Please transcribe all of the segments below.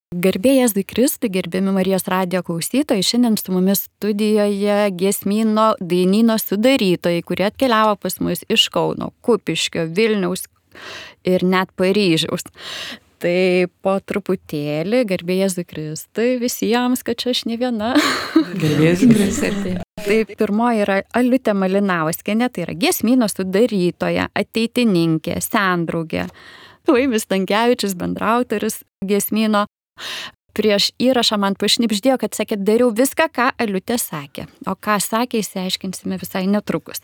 Garbė Jėzui Kristui, gerbiami Marijos radijo klausytojai, šiandien su mumis studijoje giesmyno dainyno sudarytojai, kurie atkeliavo pas mus iš Kauno, Kupiškio, Vilniaus ir net Paryžiaus. Tai po truputėlį, garbė Jėzui Kristui visiems, kad čia aš ne viena. Garbė Jėzui Kristui. Tai pirmoji yra Aliutė Malinauskienė, tai yra giesmyno sudarytoja, ateitininkė, sendraugė. Laimis Stankevičius, bendraautoris giesmyno. Prieš įrašą man pašnibždėjo, kad sakė, dariau viską, ką Aliutė sakė. O ką sakė, išsiaiškinsime visai netrukus.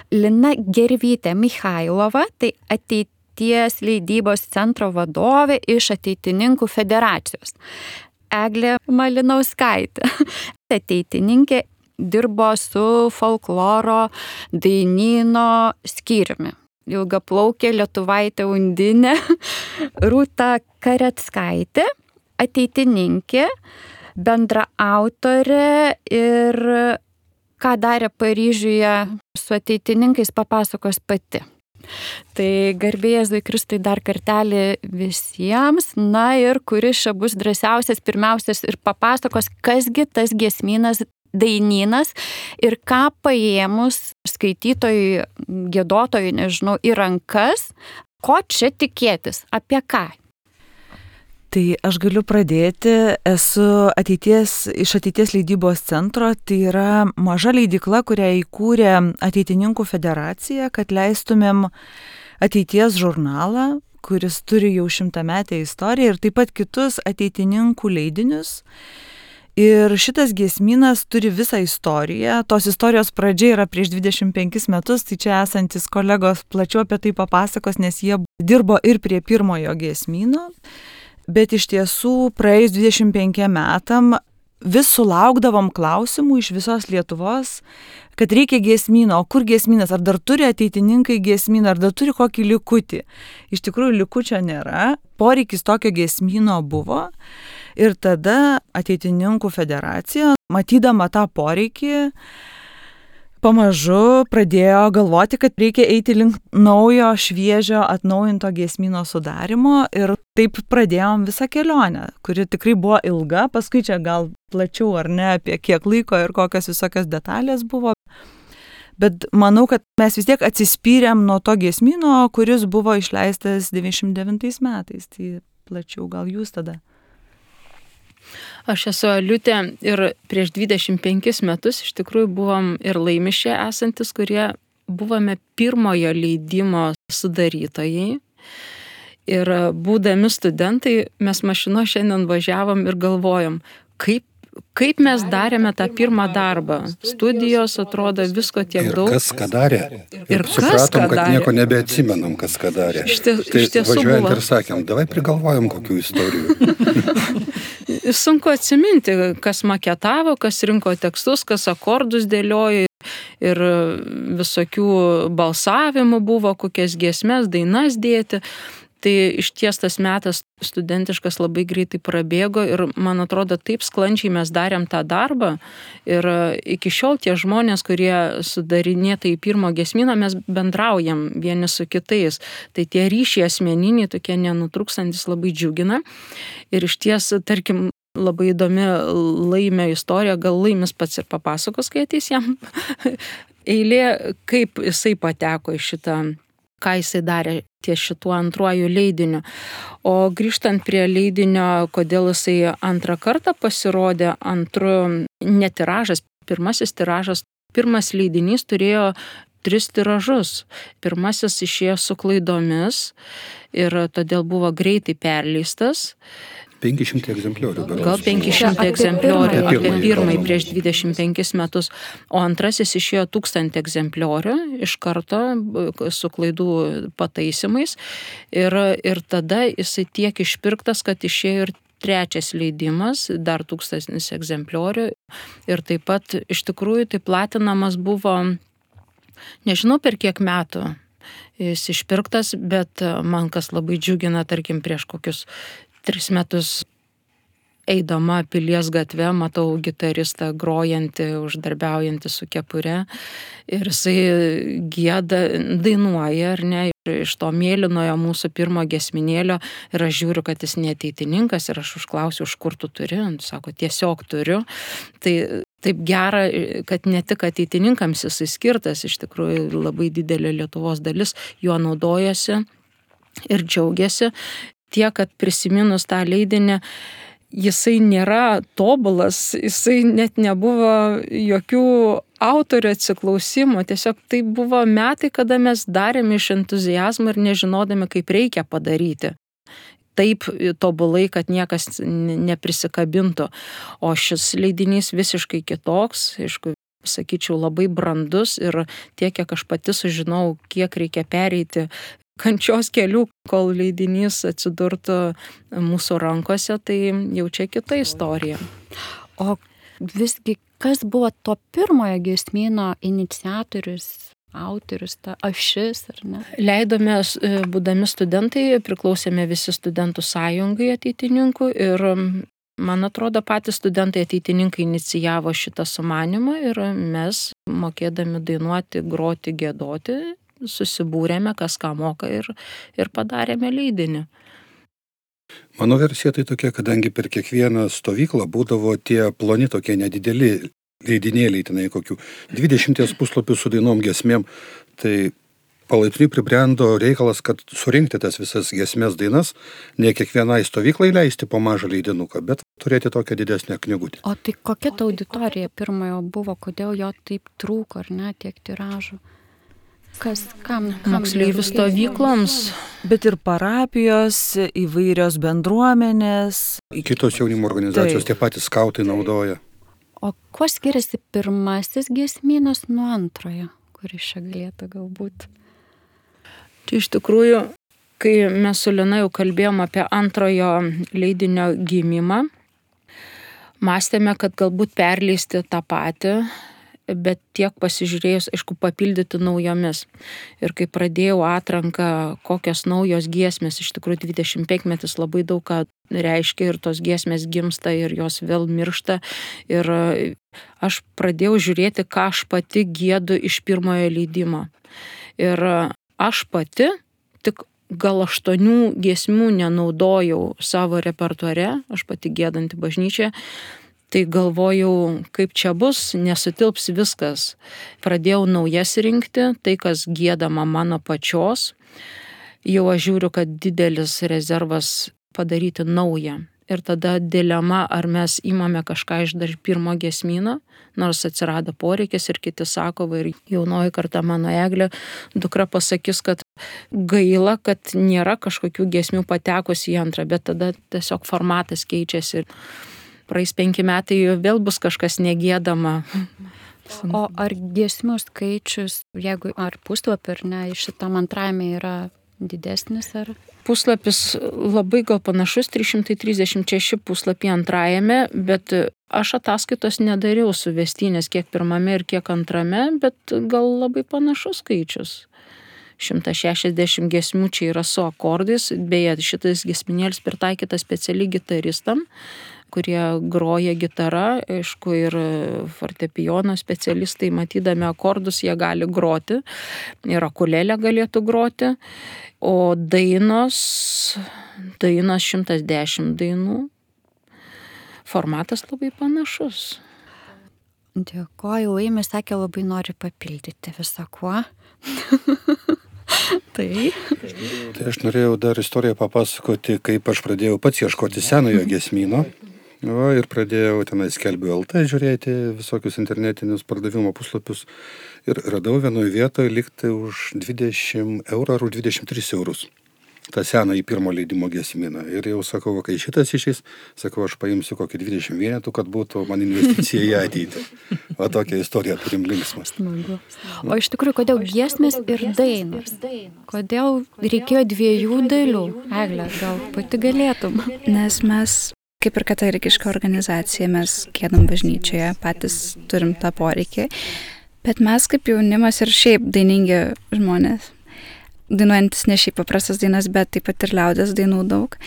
Lina Gervytė Michailova, tai ateities leidybos centro vadovė iš Ateitininkų federacijos. Eglė Malinauskaitė, ateitininkė, dirbo su folkloro dainyno skyriumi. Ilgaplaukė lietuvaitė Undinė, Rūta Kareckaitė, ateitininkė, bendraautorė ir ką darė Paryžiuje su ateitininkais papasakos pati. Tai garbė Jėzui Kristui dar kartelį visiems, na ir kuris čia bus drąsiausias, pirmiausias ir papasakos, kasgi tas giesmynas dainynas ir ką paėmus skaitytojui, giedotojui, nežinau, į rankas, ko čia tikėtis, apie ką. Tai aš galiu pradėti, esu iš ateities leidybos centro, tai yra maža leidykla, kurią įkūrė Ateitininkų federacija, kad leistumėm ateities žurnalą, kuris turi jau 100-metę istoriją ir taip pat kitus ateitininkų leidinius. Ir šitas giesmynas turi visą istoriją. Tos istorijos pradžia yra prieš 25 metus, tai čia esantis kolegos plačiau apie tai papasakos, nes jie dirbo ir prie pirmojo giesmyno. Bet iš tiesų praėjus 25 metam vis sulaukdavom klausimų iš visos Lietuvos, kad reikia giesmyno, o kur giesmynas, ar dar turi ateitininkai giesmyną, ar dar turi kokį likutį. Iš tikrųjų likučio nėra, poreikis tokio giesmyno buvo. Ir tada Ateitininkų federacija, matydama tą poreikį, pamažu pradėjo galvoti, kad reikia eiti link naujo, šviežio, atnaujinto giesmyno sudarimo ir taip pradėjom visą kelionę, kuri tikrai buvo ilga, paskui čia gal plačiau ar ne apie kiek laiko ir kokios visokios detalės buvo. Bet manau, kad mes vis tiek atsispyrėm nuo to giesmyno, kuris buvo išleistas 99 metais, tai plačiau gal jūs tada. Aš esu Aliutė ir prieš 25 metus iš tikrųjų buvom ir Laimišė esantis, kurie buvome pirmojo leidimo sudarytojai. Ir būdami studentai, mes mašino šiandien važiavom ir galvojom, kaip mes darėme tą pirmą darbą. Studijos atrodo visko tiek daug. Ir kas ką darė. Ir supratom, kad nieko nebeatsimenam, kas ką darė. Tai važiuojant ir sakėm, davai prigalvojom kokių istorijų. Sunku atsiminti, kas maketavo, kas rinko tekstus, kas akordus dėliojo ir visokių balsavimų buvo, kokias giesmes, dainas dėti. Tai išties tas metas studentiškas labai greitai prabėgo ir man atrodo taip sklandžiai mes darėm tą darbą ir iki šiol tie žmonės, kurie sudarinėta į pirmo giesmyną, mes bendraujam vieni su kitais. Tai tie ryšiai asmeniniai, tokie nenutrūkstantis labai džiugina ir išties, tarkim, labai įdomi Laimio istorija, gal Laimis pats ir papasakos, kai ateis jam eilė, kaip jisai pateko į šitą, ką jisai darė ties šituo antruoju leidiniu. O grįžtant prie leidinio, kodėl jisai antrą kartą pasirodė, netiražas, pirmasis tiražas, pirmas leidinys turėjo 3 tiražus. Pirmasis išėjo su klaidomis ir todėl buvo greitai perleistas. 500 egzempliorių. Gal 500 egzempliorių apie pirmąjį prieš 25 metus, o antrasis išėjo 1000 egzempliorių iš karto su klaidų pataisimais ir tada jisai tiek išpirktas, kad išėjo ir 3 leidimas, dar 1000 egzempliorių ir taip pat iš tikrųjų tai platinamas buvo, nežinau per kiek metų jis išpirktas, bet man kas labai džiugina, tarkim prieš kokius 3 metus eidama Pilies gatve, matau gitaristą grojantį, uždarbiaujantį su kepure ir jisai gieda, dainuoja, ar ne, iš to mėlynojo mūsų pirmo giesminėlio ir aš žiūriu, kad jis neateitininkas ir aš užklausiu, iš kur tu turi, sako, tiesiog turiu. Tai taip gera, kad ne tik ateitininkams jisai skirtas, iš tikrųjų labai didelė Lietuvos dalis juo naudojasi ir džiaugiasi. Tiek, kad prisiminus tą leidinį, jisai nėra tobulas, jisai net nebuvo jokių autorių atsiklausimų, tiesiog tai buvo metai, kada mes darėme iš entuziazmo ir nežinodami, kaip reikia padaryti. Taip tobulai, kad niekas neprisikabintų. O šis leidinys visiškai kitoks, aišku, sakyčiau, labai brandus ir tiek, kiek aš pati sužinau, kiek reikia pereiti kančios kelių, kol leidinys atsidurtų mūsų rankose, tai jau čia kita istorija. O visgi, kas buvo to pirmojo giesmyno iniciatorius, autorius, ta ašis, ar ne? Leidome, būdami studentai, priklausėme visi studentų sąjungai ateitininkų ir, man atrodo, patys studentai ateitininkai inicijavo šitą sumanimą ir mes, mokėdami dainuoti, groti, giedoti, susibūrėme, kas ką moka ir padarėme leidinį. Mano versija tai tokia, kadangi per kiekvieną stovyklą būdavo tie ploni tokie nedideli leidinėliai, tenai kokių 20 puslapių su dainom giesmėm, tai palaipsniui pribrendo reikalas, kad surinkti tas visas giesmės dainas, ne kiekvienai stovyklai leisti po mažą leidinuką, bet turėti tokią didesnę knygutę. O tai kokia ta auditorija pirmojo buvo, kodėl jo taip trūko, ar ne, tiek tiražų? Kam moksleivių stovykloms, bet ir parapijos, įvairios bendruomenės. Kitos jaunimo organizacijos, tie patys skautai naudoja. O kuo skiriasi pirmasis giesmynas nuo antrojo, kuris čia galėtų galbūt? Tai iš tikrųjų, kai mes su Lina jau kalbėjom apie antrojo leidinio gimimą, mąstėme, kad galbūt perleisti tą patį, bet tiek pasižiūrėjus, aišku, papildyti naujomis. Ir kai pradėjau atranką, kokios naujos giesmės, iš tikrųjų 25-metis labai daug ką reiškia ir tos giesmės gimsta ir jos vėl miršta. Ir aš pradėjau žiūrėti, ką aš pati giedu iš pirmojo leidimo. Ir aš pati tik gal 8 giesmių nenaudojau savo repertuare, aš pati giedanti bažnyčioje. Tai galvojau, kaip čia bus, nesutilps viskas. Pradėjau naujas rinkti, tai kas giedama mano pačios. Jau aš žiūriu, kad didelis rezervas padaryti naują. Ir tada dilema, ar mes imame kažką iš dar pirmo giesmyno, nors atsirado poreikis ir kiti sako, ir jaunoji karta mano Eglė, dukra pasakys, kad gaila, kad nėra kažkokių giesmių patekusi į antrą, bet tada tiesiog formatas keičiasi. Praeis 5 metai, vėl bus kažkas negiedama. O ar giesmių skaičius, jeigu ar puslapį ar ne, šitam antrajame yra didesnis ar? Puslapis labai gal panašus, 336 puslapį antrajame, bet aš ataskaitos nedariau suvestinės kiek pirmame ir kiek antrame, bet gal labai panašus skaičius. 160 giesmių čia yra su akordais, beje, šitas giesminėlis pritaikytas specialiai gitaristam, kurie groja gitarą, aišku, ir fortepijono specialistai, matydami akordus, jie gali groti, ir akulėlė galėtų groti, o dainos 110 dainų, formatas labai panašus. Dėkoju, Laimė sakė, labai nori papildyti visą kuo. Tai aš norėjau dar istoriją papasakoti, kaip aš pradėjau pats ieškoti senojo giesmyno. Ir pradėjau tenai skelbiu LT žiūrėti visokius internetinius pardavimo puslapius ir radau vienoje vietoje likti už 20 eurų ar už 23 eurus. tą seną į pirmo leidimo giesmyną. Ir jau sakau, kai šitas išeis, sakau, aš paimsiu kokį 20 vienetų, kad būtų man investicija į ateitį. O tokią istoriją turim linksmas. O iš tikrųjų, kodėl giesmės ir dainos? Kodėl reikėjo dviejų dalių? Egle, gal pati galėtum? Nes mes, kaip ir katalikiška organizacija, mes giedam bažnyčioje, patys turim tą poreikį. Bet mes kaip jaunimas ir šiaip dainingi žmonės, dainuojantis ne šiaip paprastas dainas, bet taip pat ir liaudės dainų daug.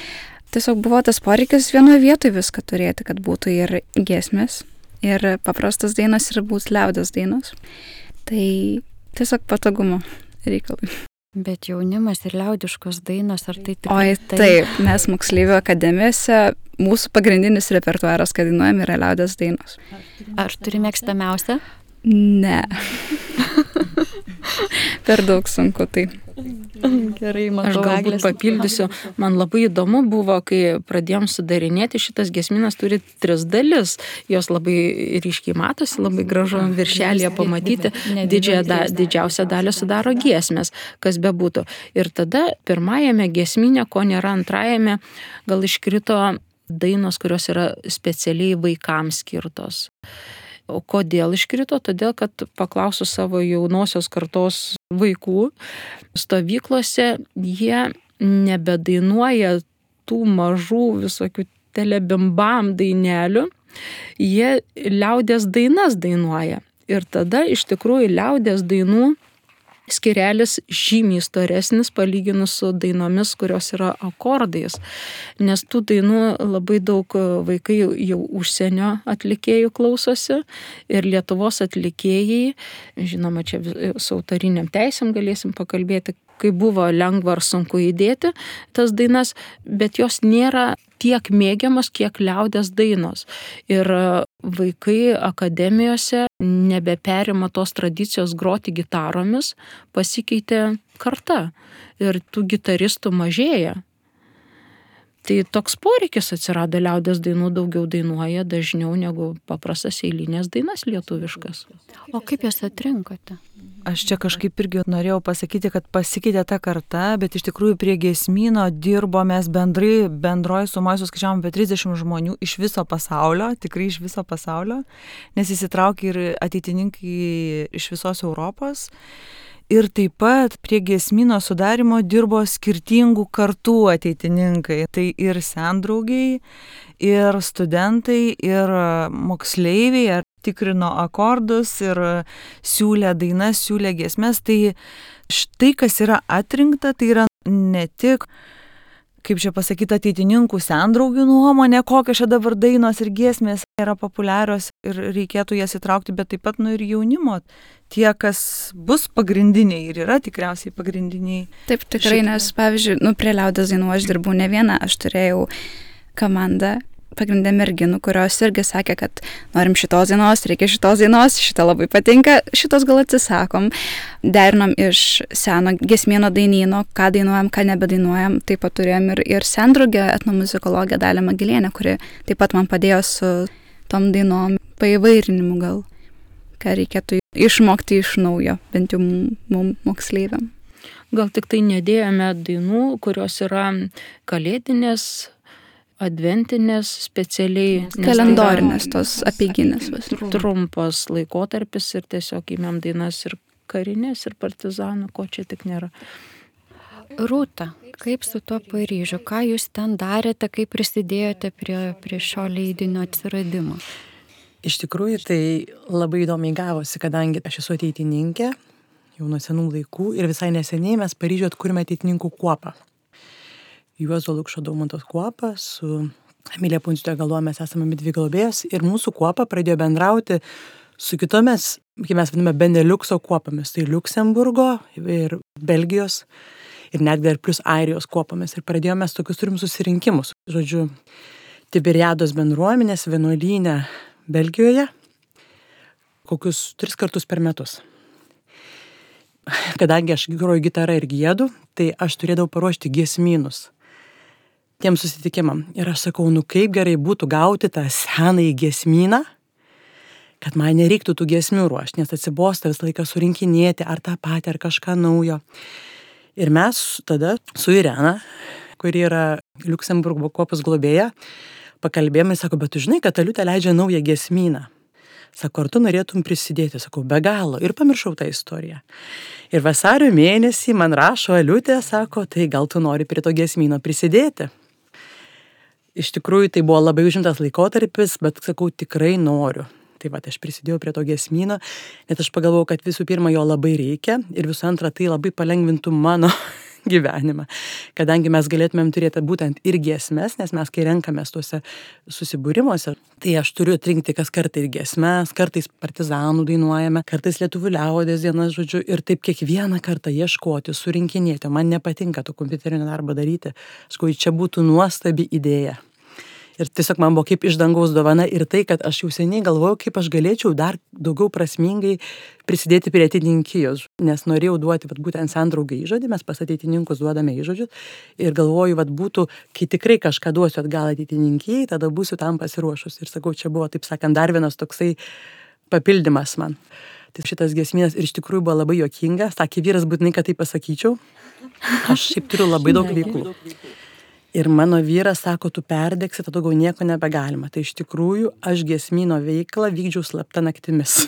Tiesiog buvo tas poreikis vienoje vietoje viską turėti, kad būtų ir giesmės, ir paprastas dainos, ir būtų liaudės dainos. Tai tiesiog patogumo reikalai. Bet jaunimas ir liaudiškos dainos, ar tai tikrai? Oi, taip, mes moksleivių akademijose, mūsų pagrindinis repertuaras, kad dainuojam, yra liaudės dainos. Ar turi mėgstamiausią? Ne. Per daug sunku tai. Gerai, Aš matau, galbūt Eglės. papildysiu. Man labai įdomu buvo, kai pradėjom sudarinėti, šitas giesminas turi 3 dalis. Jos labai ryškiai matosi, labai gražu viršelėje pamatyti. Didžiausią dalį sudaro giesmės, kas bebūtų. Ir tada pirmajame giesminė, ko nėra antrajame, gal iškrito dainos, kurios yra specialiai vaikams skirtos. O kodėl iškrito? Todėl, kad paklausiu savo jaunosios kartos vaikų, stovyklose jie nebedainuoja tų mažų visokių telebimbam dainelių, jie liaudės dainas dainuoja. Ir tada iš tikrųjų liaudės dainų skirelis žymiai storesnis palyginus su dainomis, kurios yra akordais. Nes tų dainų labai daug vaikai jau užsienio atlikėjų klausosi ir Lietuvos atlikėjai, žinoma, čia su autoriniam teisėm galėsim pakalbėti, kai buvo lengva ar sunku įdėti tas dainas, bet jos nėra tiek mėgiamas, kiek liaudės dainos. Ir vaikai akademijose nebeperima tos tradicijos groti gitaromis, pasikeitė karta ir tų gitaristų mažėja. Tai toks poreikis atsirado, liaudės dainų daugiau dainuoja dažniau negu paprastas eilinės dainas lietuviškas. O kaip jas atrinkote? Aš čia kažkaip irgi norėjau pasakyti, kad pasikeitė ta karta, bet iš tikrųjų prie giesmyno dirbo mes bendroji sumoje suskaičiavom apie 30 žmonių iš viso pasaulio, tikrai iš viso pasaulio, nes įsitraukė ir ateitininkai iš visos Europos. Ir taip pat prie giesmyno sudarimo dirbo skirtingų kartų ateitininkai. Tai ir sendraugiai, ir studentai, ir moksleiviai, ar tikrino akordus, ir siūlė dainas, siūlė giesmes. Tai štai kas yra atrinkta, tai yra ne tik, kaip čia pasakyti, ateitininkų sendraugių nuomonė, kokios čia dabar dainos ir giesmės yra populiarios ir reikėtų jas įtraukti, bet taip pat ir jaunimo. Tie, kas bus pagrindiniai ir yra tikriausiai pagrindiniai. Taip, tikrai, nes, pavyzdžiui, prie liaudės dainų aš dirbau ne vieną, aš turėjau komandą, pagrindė merginų, kurios irgi sakė, kad norim šitos dainos, reikia šitos dainos, šitą labai patinka, šitos gal atsisakom. Derinom iš seno giesmėno dainyno, ką dainuojam, ką nebedainuojam. Taip pat turėjom ir sendraugę etnomuzikologę Dalią Magilienę, kuri taip pat man padėjo su tom dainom paįvairinimu gal, ką reikėtų išmokti iš naujo, bent jau mum moksleiviam. Gal tik tai nedėjome dainų, kurios yra kalėdinės, adventinės, specialiai kalendorinės, tos apeiginės. Trumpas laikotarpis ir tiesiog įmėm dainas ir karinės, ir partizanų, ko čia tik nėra. Rūta, kaip su tuo Paryžiu? Ką jūs ten darėte, kaip prisidėjote prie šio leidinio atsiradimo? Iš tikrųjų, tai labai įdomiai gavosi, kadangi aš esu ateitininkė, jau nuo senų laikų, ir visai neseniai mes Paryžiuje atkūrėme ateitininkų kuopą. Juozo Lukšo Daumantos kuopą, su Emilija Punciūte Galuo mes esame dvi globėjos ir mūsų kuopa pradėjo bendrauti su kitomis, kaip mes vadiname, Beneliukso kuopomis, tai Liuksemburgo ir Belgijos ir netgi dar plus Airijos kuopomis. Ir pradėjome tokius turim susirinkimus. Žodžiu, Tiberiados bendruomenės vienuolyne Belgijoje kokius 3 kartus per metus. Kadangi aš groju gitarą ir giedu, tai aš turėdavau paruošti giesmynus tiem susitikimam. Ir aš sakau, kaip gerai būtų gauti tą senąjį giesmyną, kad man nereiktų tų giesmių ruošti, nes atsibosta visą laiką surinkinėti ar tą patį, ar kažką naujo. Ir mes tada su Irena, kuri yra Liuksemburgo kuopos globėja, pakalbėjome, sako, bet tu žinai, kad Aliutė leidžia naują giesmyną. Sako, ar tu norėtum prisidėti? Sakau, be galo. Ir pamiršau tą istoriją. Ir vasario mėnesį man rašo Aliutė, sako, tai gal tu nori prie to giesmyno prisidėti? Iš tikrųjų, tai buvo labai užimtas laikotarpis, bet sakau, tikrai noriu. Tai va, aš prisidėjau prie to giesmyno, net aš pagalvojau, kad visų pirma jo labai reikia ir visų antra, tai labai palengvintų mano gyvenimą. Kadangi mes galėtumėm turėti būtent ir giesmes, nes mes kai renkamės tuose susibūrimuose, tai aš turiu atrinkti kas kartą ir giesmes, kartais partizanų dainuojame, kartais lietuvių liaudies dienas, žodžiu, ir taip kiekvieną kartą ieškoti, surinkinėti. Man nepatinka to kompiuterinio darbo daryti. Aš galvoju, čia būtų nuostabi idėja. Ir tiesiog man buvo kaip iš dangaus dovana ir tai, kad aš jau seniai galvojau, kaip aš galėčiau dar daugiau prasmingai prisidėti prie ateitininkijos, nes norėjau duoti būtent sandraugai įžodį, mes pas ateitininkus duodame įžodžius ir galvoju, būtų, kai tikrai kažką duosiu atgal ateitininkijai, tada būsiu tam pasiruošus. Ir sakau, čia buvo, taip sakant, dar vienas toksai papildymas man. Tai šitas giesmynas ir iš tikrųjų buvo labai juokingas, sakė vyras būtinai, kad tai pasakyčiau. Aš šiaip turiu labai daug veiklų. Ir mano vyras sako, tu perdegsi, tada daugiau nieko nebegalima. Tai iš tikrųjų aš giesmyno veiklą vykdžiau slapta naktimis.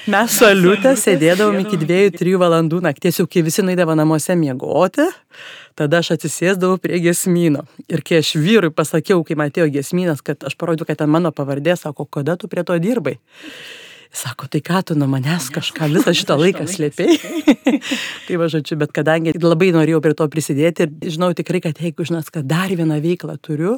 Mes su Aliute sėdėdavom iki 2-3 valandų nakties, jau kai visi nueidavo namuose miegoti, tada aš atsisėsdavau prie giesmyno. Ir kai aš vyrui pasakiau, kai man atėjo giesmynas, kad aš parodžiau, kad ten mano pavardė, sako, kada tu prie to dirbai? Sako, tai ką tu nuo manęs kažką visą šitą laiką slėpei? Tai žodžiu, bet kadangi labai norėjau prie to prisidėti ir žinau tikrai, kad jeigu žinas, kad dar vieną veiklą turiu,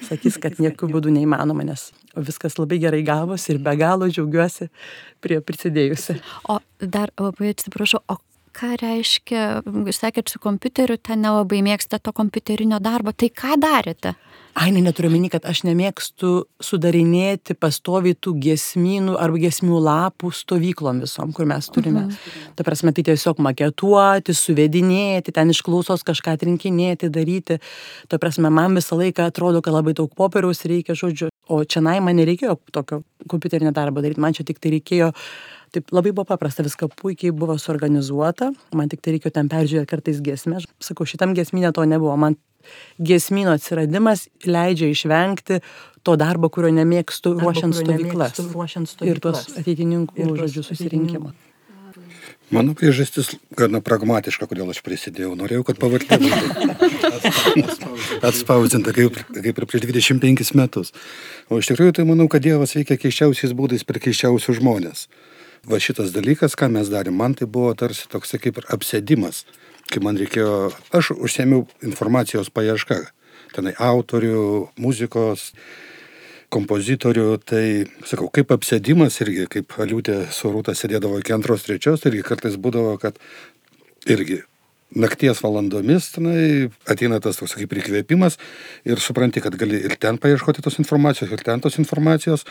sakys, kad nieku būdu neįmanoma, nes viskas labai gerai gavosi ir be galo džiaugiuosi prie prisidėjusi. O dar labai atsiprašau, o ką reiškia, sakėt, su kompiuteriu, ten nelabai mėgsta to kompiuterinio darbo, tai ką darėte? Neturiu omeny, kad aš nemėgstu sudarinėti pastoviai tų giesmynų arba giesmių lapų stovyklom visom, kur mes turime. Ta prasme, tai tiesiog maketuoti, suvedinėti, ten iš klausos kažką atrinkinėti, daryti. Ta prasme, man visą laiką atrodo, kad labai daug popieriaus reikia, žodžiu. O čia man nereikėjo tokio kompiuterinio darbo daryti, man čia tik tai reikėjo. Taip labai buvo paprasta, viską puikiai buvo suorganizuota, man tik tai reikėjo ten peržiūrėti kartais giesmės. Sakau, šitam giesmynė to nebuvo, man giesmyno atsiradimas leidžia išvengti to darbo, kurio nemėgstu ruošiant stovyklas ir tuos ateitininkų žodžių susirinkimą. Mano priežastis gana pragmatiška, kodėl aš prisidėjau. Norėjau, kad pavardė būtų atspausdinta kaip ir prieš 25 metus. O iš tikrųjų tai manau, kad Dievas veikia keisčiausiais būdais per keisčiausius žmonės. Va šitas dalykas, ką mes darėm, man tai buvo tarsi toks kaip ir apsėdimas, kai man reikėjo, aš užsiėmiau informacijos paiešką, tenai autorių, muzikos, kompozitorių, tai sakau, kaip apsėdimas irgi, kaip Aliutė su Rūta sėdėdavo iki 2-3, tai irgi kartais būdavo, kad irgi nakties valandomis tenai ateina tas toks kaip įkvėpimas ir supranti, kad gali ir ten paieškoti tos informacijos, ir ten tos informacijos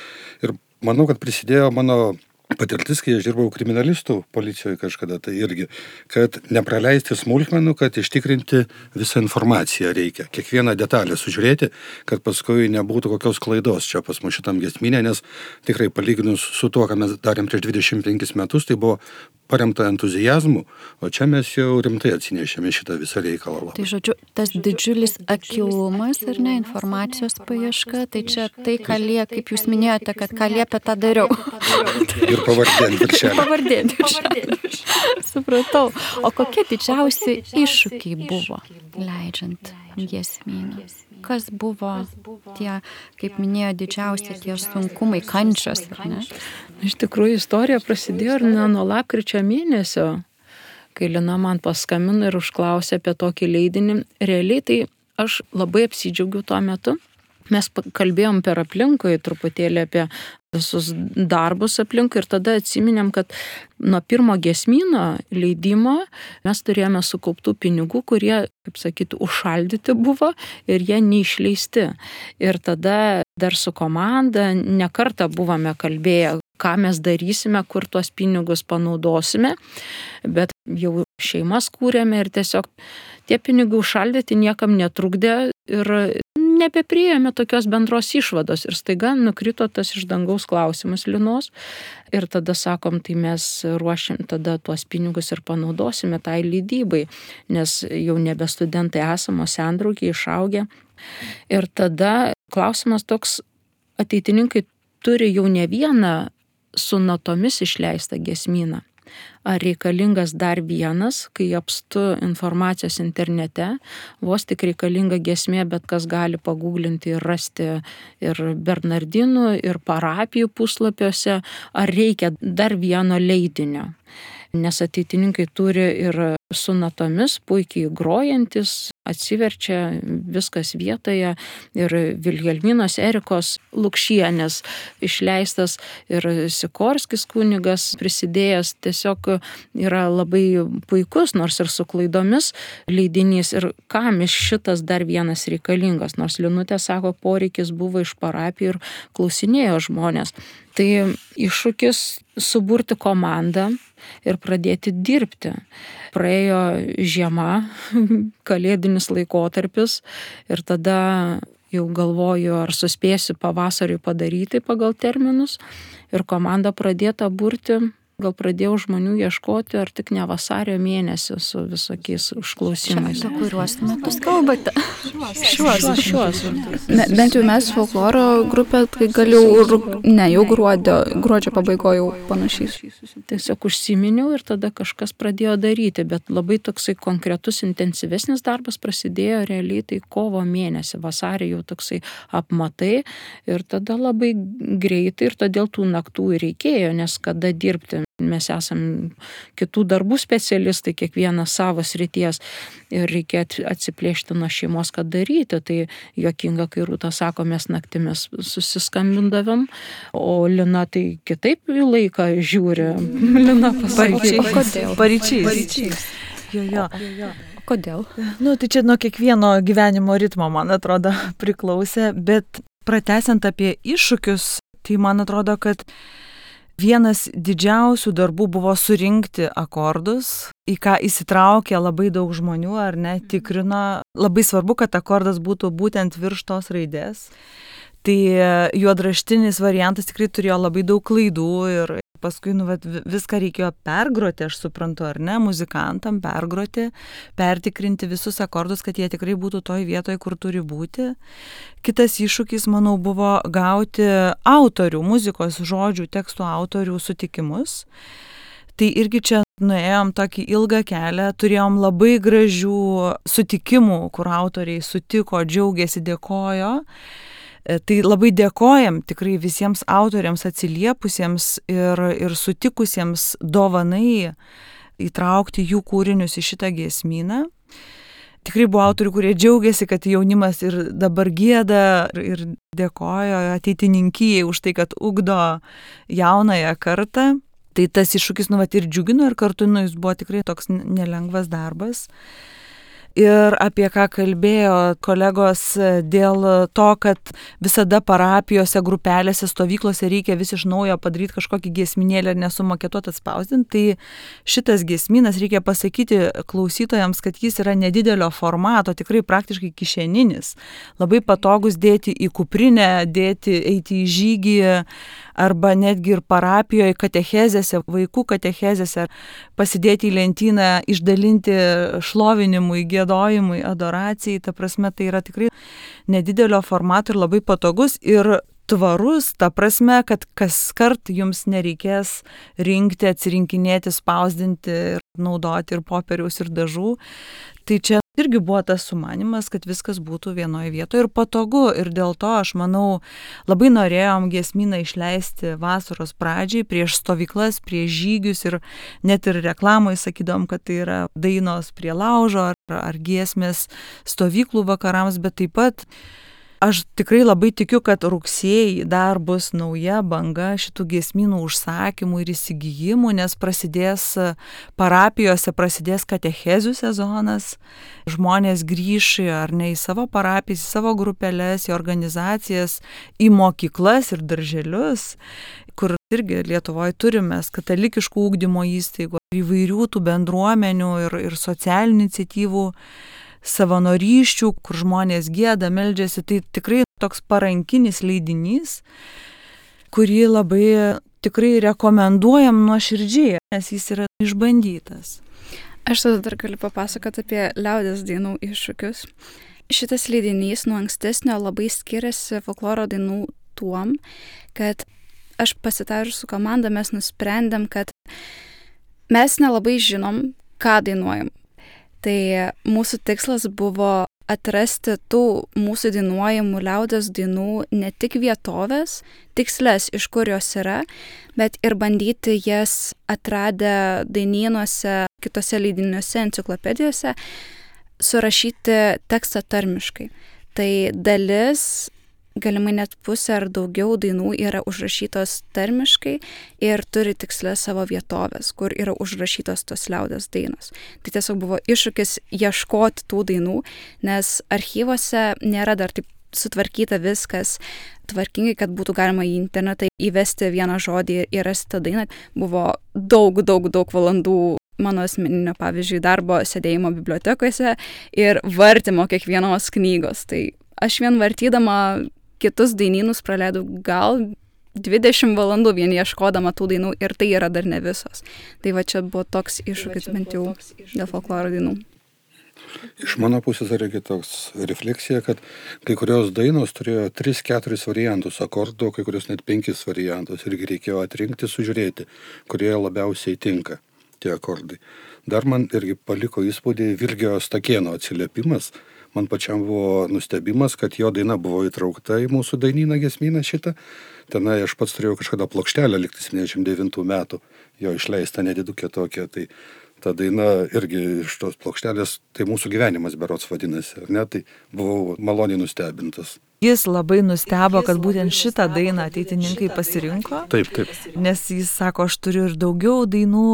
ir manau, kad prisidėjo mano patirtis, kai aš dirbau kriminalistų policijoje kažkada, tai irgi, kad nepraleisti smulkmenų, kad ištikrinti visą informaciją reikia, kiekvieną detalę sužiūrėti, kad paskui nebūtų kokios klaidos čia pas mus šitam giesmynė, nes tikrai palyginus su tuo, ką mes darėm prieš 25 metus, tai buvo paremta entuzijazmu, o čia mes jau rimtai atsinešėme šitą visą reikalą. Tai žodžiu, tas didžiulis akylumas ir ne informacijos paieška, tai čia tai, ką kaip jūs minėjote, kad ką liepia, tą dariau. Ir pavardė viršelį. Pavardė viršelį. Supratau. O kokie didžiausi iššūkiai buvo leidžiant giesmyną? Kas buvo tie, kaip minėjo, didžiausi tie sunkumai, kančios, ar ne? Iš tikrųjų, istorija prasidėjo ir nuo lapkričio mėnesio, kai Lina man paskambino ir užklausė apie tokį leidinį. Realiai tai aš labai apsidžiaugiau tuo metu. Mes kalbėjom per aplinkui truputėlį apie visus darbus aplinkui ir tada atsiminėm, kad nuo pirmo giesmyno leidimo mes turėjome sukauptų pinigų, kurie, kaip sakyti, užšaldyti buvo ir jie neišleisti. Ir tada dar su komanda nekartą buvome kalbėję, ką mes darysime, kur tuos pinigus panaudosime, bet jau šeimas kūrėme ir tiesiog tie pinigai užšaldyti niekam netrukdė ir nebepriėjome tokios bendros išvados ir staiga nukrito tas iš dangaus klausimas Linos ir tada sakom, tai mes ruošiam tada tuos pinigus ir panaudosime tai leidybai, nes jau nebe studentai esamo sendraugiai išaugę. Ir tada klausimas toks, ateitininkai turi jau ne vieną su natomis išleistą giesmyną. Ar reikalingas dar vienas, kai apstu informacijos internete, vos tik reikalinga giesmė, bet kas gali paguglinti ir rasti ir bernardinų, ir parapijų puslapiuose, ar reikia dar vieno leidinio. nes ateitininkai turi ir su natomis puikiai grojantis, atsiverčia viskas vietoje ir Vilhelminos Erikos Lukšienės išleistas ir Sikorskis kunigas prisidėjęs, tiesiog yra labai puikus, nors ir su klaidomis leidinys. Ir kam iš šitas dar vienas reikalingas, nors Linutė sako, poreikis buvo iš parapijų ir klausinėjo žmonės. Tai iššūkis suburti komandą ir pradėti dirbti. Praėjo žiema, kalėdinis laikotarpis ir tada jau galvoju, ar suspėsiu pavasarį padaryti pagal terminus ir komanda pradėta burti. Gal pradėjau žmonių ieškoti, ar tik ne vasario mėnesį su visokiais užklausimais. Apie kuriuos metus kalbate? Šiuos. Bent jau mes folkloro grupė, tai gal jau gruodžio pabaigoje jau panašiai. Tiesiog užsiminiau ir tada kažkas pradėjo daryti, bet labai toksai konkretus, intensyvesnis darbas prasidėjo realiai tai kovo mėnesį, vasarį jau toksai apmatai ir tada labai greitai ir todėl tų naktų reikėjo, nes kada dirbti. Mes esam kitų darbų specialistai, kiekvienas savo srities ir reikia atsiplėšti nuo šeimos, kad daryti. Tai juokinga, kai Rūta sako, mes naktimis susiskambindavom, o Lina tai kitaip į laiką žiūri. Lina pasakė. Paryčiais. Jo. Kodėl? Tai čia nuo kiekvieno gyvenimo ritmo, man atrodo, priklausė, bet pratęsiant apie iššūkius, tai man atrodo, kad vienas didžiausių darbų buvo surinkti akordus, į ką įsitraukė labai daug žmonių, ar ne, tikrino. Labai svarbu, kad akordas būtų būtent virš tos raidės. Tai juodraštinis variantas tikrai turėjo labai daug klaidų ir paskui viską reikėjo pergroti, aš suprantu, ar ne, muzikantam pergroti, pertikrinti visus akordus, kad jie tikrai būtų toj vietoje, kur turi būti. Kitas iššūkis, manau, buvo gauti autorių, muzikos žodžių, tekstų autorių sutikimus. Tai irgi čia nuėjom tokį ilgą kelią, turėjom labai gražių sutikimų, kur autoriai sutiko, džiaugiasi, dėkojo. Tai labai dėkojam tikrai visiems autoriams atsiliepusiems ir sutikusiems dovanai įtraukti jų kūrinius į šitą giesmyną. Tikrai buvo autorių, kurie džiaugiasi, kad jaunimas ir dabar gieda ir dėkojo ateitininkijai už tai, kad ugdo jaunąją kartą. Tai tas iššūkis ir džiugino ir kartu jis buvo tikrai toks nelengvas darbas. Ir apie ką kalbėjo kolegos dėl to, kad visada parapijose, grupelėse, stovyklose reikia vis iš naujo padaryti kažkokį giesminėlį ir nesumaketuoti atspausdinti, tai šitas giesminas, reikia pasakyti klausytojams, kad jis yra nedidelio formato, tikrai praktiškai kišeninis, labai patogus dėti į kuprinę, eiti į žygį, arba netgi ir parapijoje, katechezėse, vaikų katechezėse, pasidėti į lentyną, išdalinti šlovinimui, giedojimui, adoracijai. Ta prasme, tai yra tikrai nedidelio formato ir labai patogus ir tvarus, ta prasme, kad kaskart jums nereikės rinkti, atsirinkinėti, spausdinti ir naudoti ir popieriaus, ir dažų. Tai čia irgi buvo tas sumanimas, kad viskas būtų vienoje vietoje ir patogu. Ir dėl to, aš manau, labai norėjom giesmyną išleisti vasaros pradžiai, prieš stovyklas, prieš žygius ir net ir reklamoje sakydom, kad tai yra dainos prie laužo ar giesmės stovyklų vakarams, bet taip pat aš tikrai labai tikiu, kad rugsėjį dar bus nauja banga šitų giesmynų užsakymų ir įsigijimų, nes prasidės parapijose, prasidės katechezių sezonas, žmonės grįš ar ne į savo parapijas, į savo grupelės, į organizacijas, į mokyklas ir darželius, kur irgi Lietuvoje turime katalikiškų ugdymo įstaigų, įvairių tų bendruomenių ir socialinių iniciatyvų, savanorysčių, kur žmonės gieda, meldžiasi. Tai tikrai toks parankinis leidinys, kurį labai tikrai rekomenduojam nuoširdžiai, nes jis yra išbandytas. Aš tada dar galiu papasakoti apie liaudies dainų iššūkius. Šitas leidinys nuo ankstesnio labai skiriasi folkloro dainų tuom, kad aš pasitarus su komanda mes nusprendėm, kad mes nelabai žinom, ką dainuojam. Tai mūsų tikslas buvo atrasti tų mūsų dainuojamų liaudies dainų ne tik vietovės, tiksles, iš kur jos yra, bet ir bandyti jas atradę dainynuose, kitose leidiniuose, enciklopedijose, surašyti tekstą tarmiškai. Tai dalis, galimai net pusė ar daugiau dainų yra užrašytos tarmiškai ir turi tikslę savo vietovės, kur yra užrašytos tos liaudies dainos. Tai tiesiog buvo iššūkis ieškoti tų dainų, nes archyvose nėra dar taip sutvarkyta viskas tvarkingai, kad būtų galima į internetą įvesti vieną žodį ir rasti tą dainą. Buvo daug valandų mano asmeninio, pavyzdžiui, darbo sėdėjimo bibliotekose ir vartymo kiekvienos knygos. Tai aš vien vartydama kitus dainynus praleidau gal 20 valandų vien ieškodama tų dainų ir tai yra dar ne visos. Tai va čia buvo toks iššūkis bent jau dėl folkloro dainų. Iš mano pusės reikia toks refleksija, kad kai kurios dainos turėjo 3-4 variantus akordų, kai kurios net 5 variantus irgi reikėjo atrinkti, sužiūrėti, kurie labiausiai tinka tie akordai. Dar man irgi paliko įspūdį Virgio Stakėno atsiliepimas. Man pačiam buvo nustebimas, kad jo daina buvo įtraukta į mūsų dainyną giesmyną šitą. Tenai aš pats turėjau kažkada plokštelę, likti 79 metų, jo išleista nedidukė tokia. Tai ta daina irgi iš tos plokštelės, tai mūsų gyvenimas berods vadinasi, ar ne? Tai buvau maloniai nustebintas. Jis labai nustebo, kad būtent šitą dainą ateitininkai pasirinko. Taip. Nes jis sako, aš turiu ir daugiau dainų,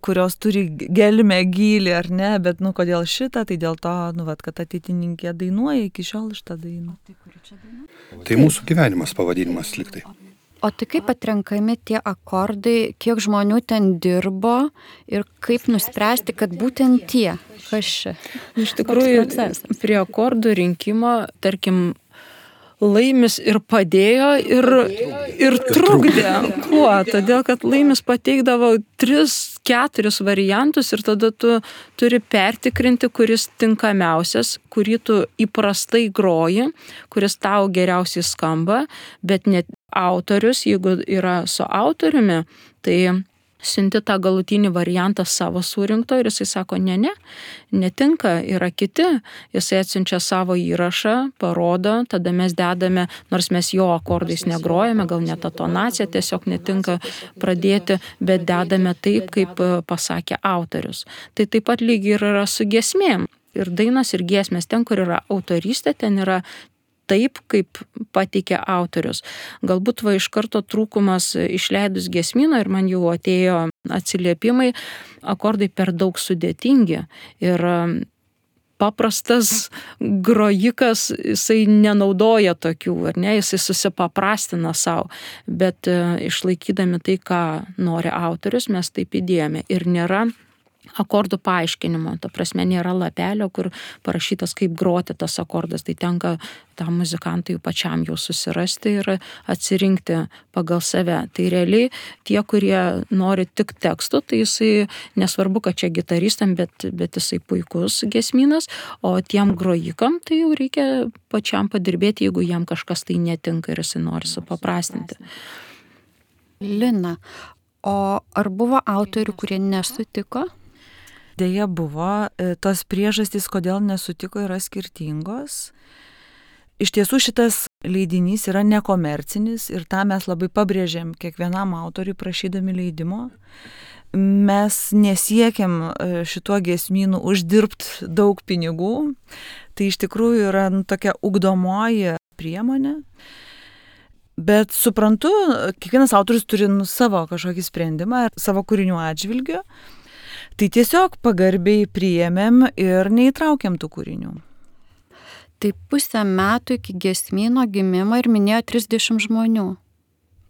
kurios turi gelmę gylį, ar ne, bet kodėl šitą, tai dėl to, kad ateitininkė dainuoja iki šiol šitą dainą. Tai mūsų gyvenimas pavadinimas liktai. O tai kaip atrenkami tie akordai, kiek žmonių ten dirbo ir kaip nuspręsti, kad būtent tie, kas čia? Iš tikrųjų, prie akordų rinkimo, tarkim, Laimis ir padėjo ir trukdė. Kuo? Todėl, kad Laimis pateikdavo 3-4 variantus ir tada tu turi pertikrinti, kuris tinkamiausias, kurį tu įprastai groji, kuris tau geriausiai skamba, bet net autorius, jeigu yra su autoriumi, tai siunti tą galutinį variantą savo surinkto ir jisai sako, netinka, yra kiti. Jisai atsiunčia savo įrašą, parodo, tada mes dedame, nors mes jo akordais negrojame, gal net tonacija tiesiog netinka pradėti, bet dedame taip, kaip pasakė autorius. Tai taip pat lygiai yra su giesmėm. Ir dainos, ir giesmės, ten, kur yra autorystė, ten yra taip, kaip pateikė autorius. Galbūt iš karto trūkumas išleidus giesmyną ir man jau atėjo atsiliepimai, akordai per daug sudėtingi ir paprastas grojikas, jisai nenaudoja tokių, ar ne, jisai susipaprastina savo, bet išlaikydami tai, ką nori autorius, mes taip įdėjome ir nėra akordų paaiškinimo, ta prasme nėra lapelio, kur parašytas, kaip groti tas akordas, tai tenka tam muzikantui pačiam jau susirasti ir atsirinkti pagal save. Tai realiai tie, kurie nori tik tekstų, tai jisai nesvarbu, kad čia gitaristam, bet jisai puikus giesmynas, o tiem grojikam tai jau reikia pačiam padirbėti, jeigu jam kažkas tai netinka ir jisai nori supaprastinti. Lina, o ar buvo autorių, kurie nesutiko? Deja buvo, tos priežastys, kodėl nesutiko, yra skirtingos. Iš tiesų šitas leidinys yra nekomercinis ir tą mes labai pabrėžėm kiekvienam autoriui prašydami leidimo. Mes nesiekiam šituo giesmynu uždirbti daug pinigų, tai iš tikrųjų yra tokia ugdomoji priemonė. Bet suprantu, kiekvienas autorius turi savo kažkokį sprendimą, savo kūrinių atžvilgiu. Tai tiesiog pagarbiai priėmėm ir neįtraukėm tų kūrinių. Tai 1,5 metų iki giesmyno gimimo ir minėjo 30 žmonių.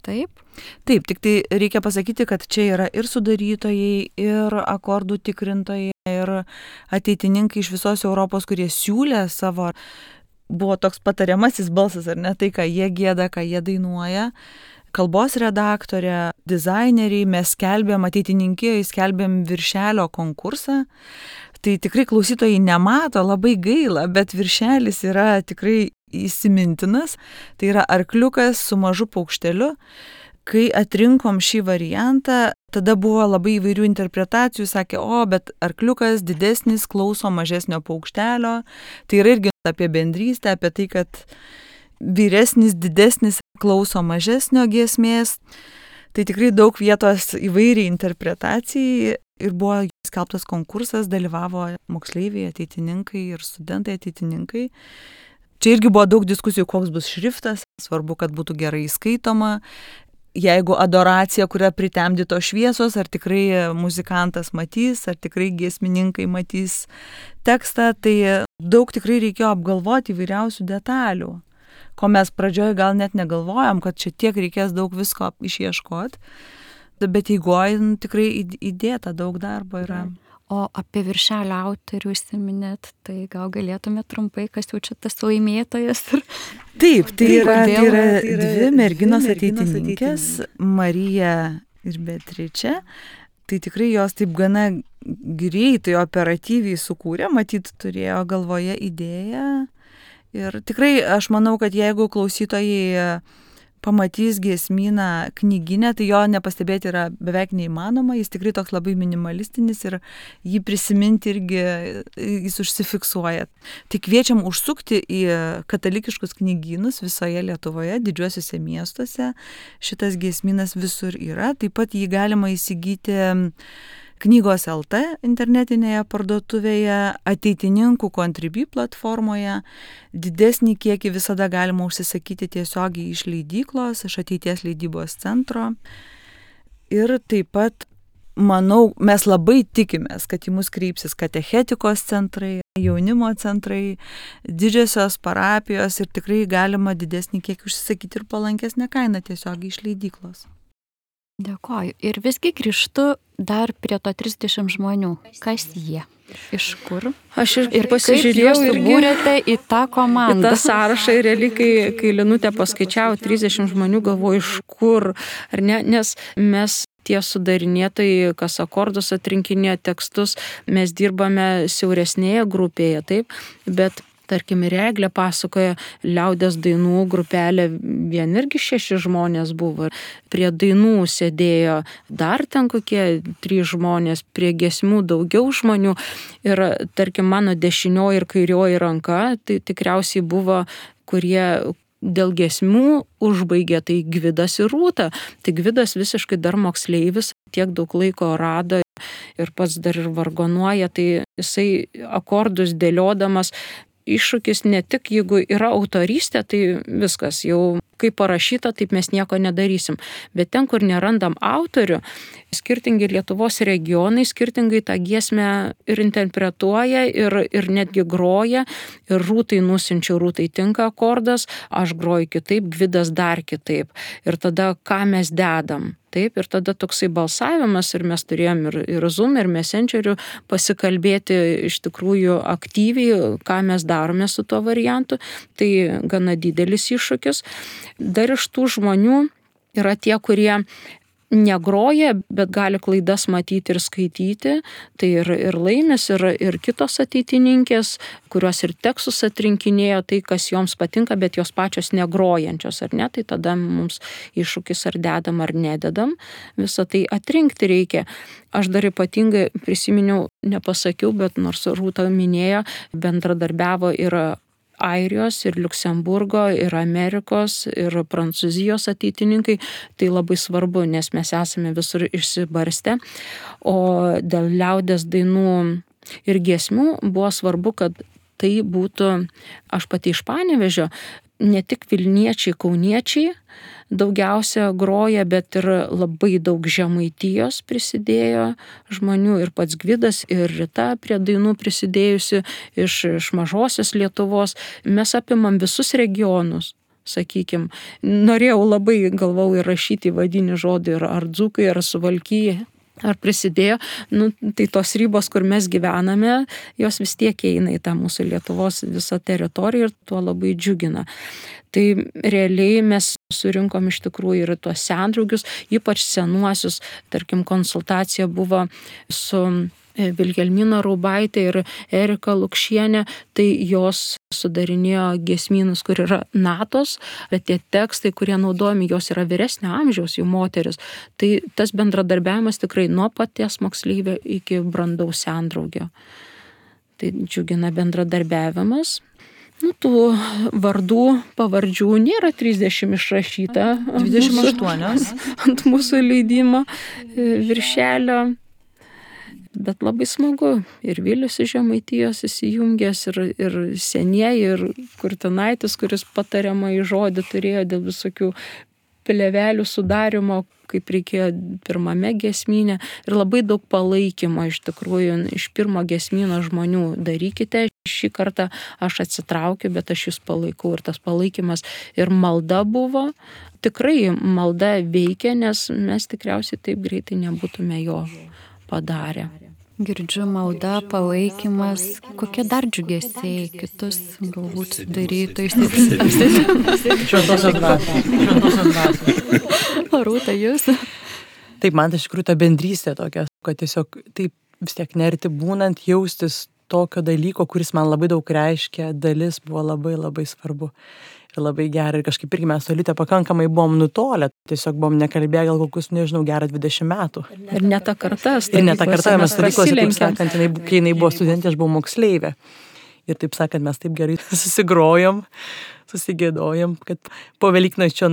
Taip? Taip, tik tai reikia pasakyti, kad čia yra ir sudarytojai, ir akordų tikrintojai, ir ateitininkai iš visos Europos, kurie siūlė savo, buvo toks patariamasis balsas, ar ne, tai, ką jie gieda, ką jie dainuoja. Kalbos redaktorė, dizaineriai, mes skelbėm, ateitininkijai skelbėm viršelio konkursą. Tai tikrai klausytojai nemato, labai gaila, bet viršelis yra tikrai įsimintinas. Tai yra arkliukas su mažu paukšteliu. Kai atrinkom šį variantą, tada buvo labai įvairių interpretacijų, sakė, bet arkliukas didesnis klauso mažesnio paukštelio. Tai yra irgi apie bendrystę, apie tai, kad vyresnis, didesnis klauso mažesnio giesmės. Tai tikrai daug vietos įvairiai interpretacijai ir buvo skelbtas konkursas, dalyvavo moksleiviai, ateitininkai ir studentai ateitininkai. Čia irgi buvo daug diskusijų, koks bus šriftas, svarbu, kad būtų gerai skaitoma. Jeigu adoracija, kuria pritemdyto šviesos, ar tikrai muzikantas matys, ar tikrai giesmininkai matys tekstą, tai daug tikrai reikėjo apgalvoti įvairiausių detalių, ko mes pradžioje gal net negalvojam, kad čia tiek reikės daug visko išieškoti, bet eigoje tikrai įdėta daug darbo yra. O apie viršelio autorių užsiminėt, tai gal galėtumėt trumpai, kas jau čia tas laimėtojas? Taip, tai yra dvi merginos ateitininkės, Marija ir Beatričė. Tai tikrai jos taip gana greitai, operatyviai sukūrė, matyt, turėjo galvoje idėją. Ir tikrai aš manau, kad jeigu klausytojai pamatys giesmyną knyginę, tai jo nepastebėti yra beveik neįmanoma, jis tikrai toks labai minimalistinis ir jį prisiminti irgi jis užsifiksuoja. Tai kviečiam užsukti į katalikiškus knygynus visoje Lietuvoje, didžiuosiuose miestuose, šitas giesmynas visur yra, taip pat jį galima įsigyti Knygos LT internetinėje parduotuvėje, ateitininkų Contribui platformoje. Didesnį kiekį visada galima užsisakyti tiesiogiai iš leidyklos, iš Ateities leidybos centro. Ir taip pat, manau, mes labai tikimės, kad į mus kreipsis katechetikos centrai, jaunimo centrai, didžiosios parapijos ir tikrai galima didesnį kiekį užsisakyti ir palankesnę kainą tiesiogiai iš leidyklos. Dėkoju. Ir visgi grįžtu dar prie to 30 žmonių. Kas jie? Iš kur? Aš ir pasižiūrėjau ir subūrėte į tą komandą. Į tą sąrašą ir realiai, kai Linutė paskaičiavo 30 žmonių, galvoju, iš kur, ar ne, nes mes tie sudarinėtojai, kas akordus atrinkinė tekstus, mes dirbame siauresnėje grupėje, taip, bet tarkim, ir Eglė pasakoja, liaudies dainų grupelė, vien irgi 6 žmonės buvo. Prie dainų sėdėjo dar ten kokie 3 žmonės, prie giesmių daugiau žmonių. Ir tarkim, mano dešinioji ir kairioji ranka, tai tikriausiai buvo, kurie dėl giesmių užbaigė, tai Gvidas ir Rūta. Tai Gvidas visiškai dar moksleivis, tiek daug laiko rado ir pats dar ir vargonuoja, tai jisai akordus dėliodamas. Iššūkis ne tik, jeigu yra autorystė, tai viskas, jau kaip parašyta, taip mes nieko nedarysim. Bet ten, kur nerandam autorių, skirtingi Lietuvos regionai, skirtingai tą giesmę ir interpretuoja, ir netgi groja. Ir Rūtai nusinčiau, Rūtai tinka akordas, aš groju kitaip, Gvidas dar kitaip. Ir tada ką mes dedam? Taip, ir tada toksai balsavimas ir mes turėjom ir Zoom, ir Messengeriu pasikalbėti iš tikrųjų aktyviai, ką mes darome su tuo variantu. Tai gana didelis iššūkis. Dar iš tų žmonių yra tie, kurie negroja, bet gali klaidas matyti ir skaityti. Tai ir Laimis, ir kitos ateitininkės, kurios ir tekstus atrinkinėjo, tai kas joms patinka, bet jos pačios negrojančios, ar ne? Tai tada mums iššūkis ar dedam, ar nededam. Visą tai atrinkti reikia. Aš dar ypatingai prisiminiau, nepasakiau, bet nors Rūta minėjo, bendradarbiavo ir Airijos, ir Liuksemburgo, ir Amerikos, ir Prancūzijos ateitininkai. Tai labai svarbu, nes mes esame visur išsibarstę. O dėl liaudies dainų ir giesmių buvo svarbu, kad tai būtų, aš pati iš Panevėžio, ne tik Vilniečiai, Kauniečiai daugiausia groja, bet ir labai daug Žemaitijos prisidėjo žmonių, ir pats Gvidas, ir Rita prie dainų prisidėjusi iš mažosios Lietuvos. Mes apimam visus regionus, sakykim. Norėjau labai, galvau, įrašyti vadinį žodį ar dzūkai, ar Suvalkija. Ar prisidėjo, tai tos ribos, kur mes gyvename, jos vis tiek eina į tą mūsų Lietuvos visą teritoriją ir tuo labai džiugina. Tai realiai mes surinkom iš tikrųjų ir tuos sendraugius, ypač senuosius, tarkim, konsultacija buvo su Vilhelmina Raubaitė ir Erika Lukšienė, tai jos sudarinėjo giesmynus, kur yra natos, bet tie tekstai, kurie naudojami, jos yra vyresnio amžiaus, jų moteris. Tai tas bendradarbiavimas tikrai nuo paties moksleivio iki brandaus sendraugio. Tai džiugina bendradarbiavimas. Tų vardų, pavardžių nėra 30 išrašyta 28 ant mūsų leidimo viršelio. Bet labai smagu. Ir Vilius iš Žemaitijos įsijungęs, ir senieji, ir Kurtinaitis, kuris patariamąjį žodį turėjo dėl visokių plėvelių sudarimo, kaip reikėjo pirmame giesmyne. Ir labai daug palaikymo iš tikrųjų iš pirmo giesmyno žmonių. Darykite, šį kartą aš atsitraukiu, bet aš jūs palaikau. Ir tas palaikymas ir malda buvo. Tikrai malda veikia, nes mes tikriausiai taip greitai nebūtume jo padarę. Girdžiu malda, palaikymas, kokie dar džiugesiai kitus galbūt darytų. Šventosios dvasios. Rūta, jūs? Taip, man tai iš tikrųjų ta bendrystė tokia, kad tiesiog taip vis tiek nerti būnant, jaustis tokio dalyko, kuris man labai daug reiškia, dalis buvo labai labai svarbu. Ir labai gerai. Ir kažkaip irgi mes Olite pakankamai buvom nutolę. Tiesiog buvom nekalbėję gal kokius, nežinau, gerą 20 metų. Ir ne ta karta. Ir ne ta karta, mes stovyklose, taip sakant, kai jinai buvo studentė, aš buvau moksleivė. Ir taip sakant, mes taip gerai susigrojom, susigėdojom, kad po Velyknakčio